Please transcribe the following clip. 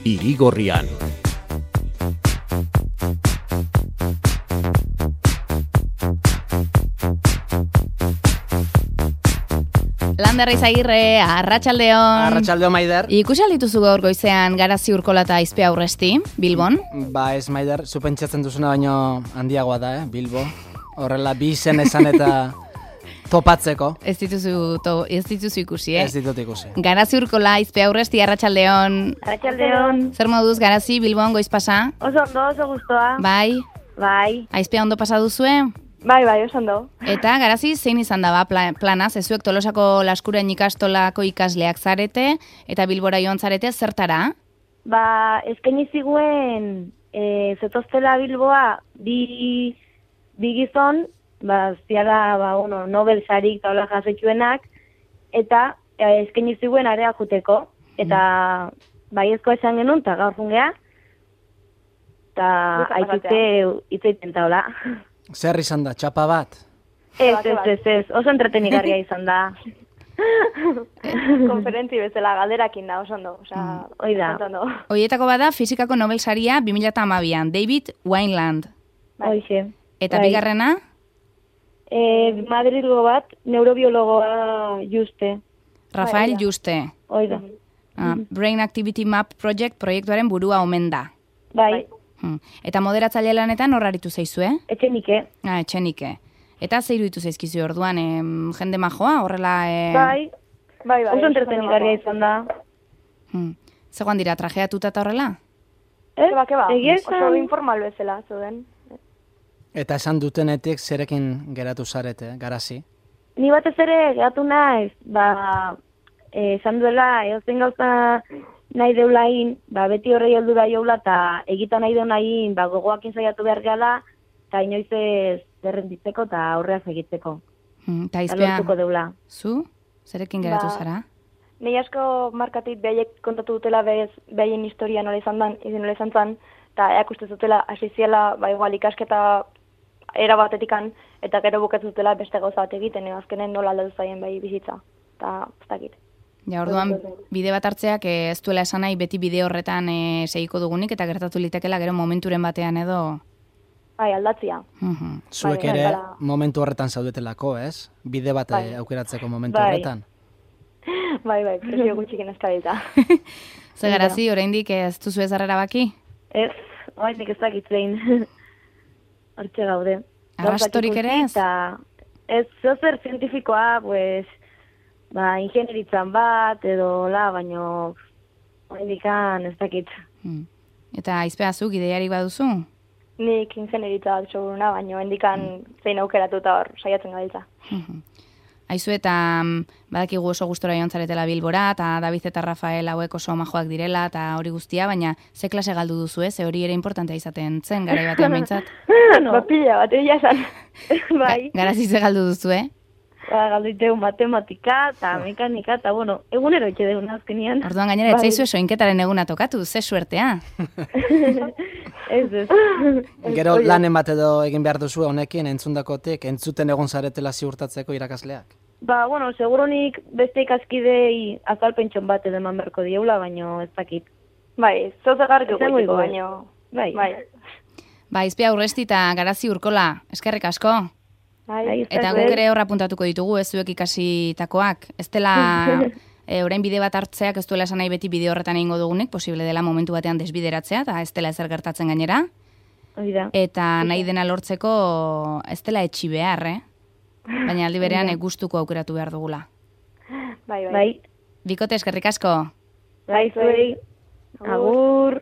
Irigorrian. Lander Izagirre, arratsaldeon. Arratsaldeon, Maider. Ikusi aldituzu gaur goizean Garazi Urkola eta Aizpe Aurresti, Bilbon? Ba, ez, Maider, zu pentsatzen duzuna baino handiagoa da, Bilbo. Horrela, bi izen esan eta topatzeko. Ez dituzu ikusi, Ez ditut ikusi. Garazi Urkola, Aizpe Aurresti, arratsaldeon. Arratsaldeon. Zer moduz Garazi, Bilbon, goiz pasa? Oso ondo, oso gustoa. Bai, Bai. Aizpea ondo pasa duzue? Bai, oso ondo. Eta Garazi zein izan da plana, zezuek Tolosako Laskurain ikastolako ikasleak zarete, eta Bilbora joan zarete zertara? Ba, eskaini ziguen zetoztela Bilboa bi gizon, ba, ziala, Nobel sarik taula jasetxuenak, eta eskaini ziguen area juteko, eta baiezko esan genuen, eta gaur jungea, eta aitute itzaiten taula. Zer izan da, txapa bat? Ez, oso entretenigarria izan da. Konferentzi bezala galderakin da, oso ondo. Hoi da. Hoietako bada fizikako Nobel saria 2012an, David Wineland. Hoixe. Eta bigarrena? Madrilgo bat, neurobiologoa Juste. Rafael Juste. Hoi da. Brain Activity Map Project proiektuaren burua omen da. Bai. Eta moderatzaile lanetan hor aritu zaizue? Etxenike. Etxenike. Eta ze iruditu zaizkizu orduan, jende majoa, horrela... Bai. Oso entretenigarria izan da. Zegoan dira, trajeatuta eta horrela? Keba. Egia Oso informal bezala, zuden. Eta esan dutenetik zerekin geratu zarete, Garazi? Ni batez ere geratu naiz, esan duela, eozen gauza nahi deulain, beti horrei heldu da joula, eta egita nahi deulain, gogoakin saiatu behar gala, eta inoiz ez derrenditzeko eta aurreaz egiteko. Eta Aizpea, deula. Zu? Zerekin geratu zara? Nei asko markatit behaiek kontatu dutela behaien historia nola izan zan, eta eakuste zutela asiziela, igual ikasketa era batetikan, eta gero bukatu zutela beste gauza bat egiten, azkenen nola aldatu zaien bai bizitza, eta ez dakit. Ja, orduan, bide bat hartzeak ez duela esan nahi beti bide horretan segiko dugunik, eta gertatu litekela gero momenturen batean edo... Bai, aldatzia. Zuek ere momentu horretan zaudetelako, ez? Bide bat aukeratzeko momentu horretan. Bai, presio gutxiken eskadita. Ze Garazi, oraindik ez duzu ez arrera baki? Ez, oraindik ez dakitzein. Hortxe gaude. Arrastorik ere ez? Ez, zozer zientifikoa, ingenieritzan bat, edo baino oraindikan ez dakit. Eta Aizpea zuk ideiarik baduzu? Nik ingenieritza bat seguruna, baino hendikan zein aukeratu eta hor saiatzen gabiltza. Aizu eta badakigu oso gustora joan zaretela Bilbora, eta David eta Rafael hauek oso majoak direla, eta hori guztia, baina ze klase galdu duzu, ze hori ere importantea izaten zen, garai batean behintzat? Pila bat, egia esan. Bai. Garazi ze galdu duzu, Galdu iteu matematika eta mekanika, eta egunero itxe deun azkenian. Orduan gainera, etzaizu soinketaren eguna tokatu, ze suertea. Ez. Gero lanen bat edo egin behar duzu honekin entzundakotik, entzuten egon zaretela ziurtatzeko irakasleak? Seguronik beste ikaskidei azalpentxon bat edo eman berko dieula, baino ez dakit. Bai, zozagarrik egoteko, baino. Bai. Aizpea Aurresti eta Garazi Urkola, eskerrik asko. Eta guk ere horra puntatuko ditugu, ez zuek ikasitakoak. Ez dela, orain bide bat hartzeak ez duela esan nahi beti bide horretan egingo dugunik, posible dela momentu batean desbideratzea, eta ez dela ezer gertatzen gainera. Eta nahi dena lortzeko ez dela etxi behar, baina aldi berean gustuko aukeratu behar dugula. Bai. Bikote, eskerrik asko. Bai, zuei. Agur.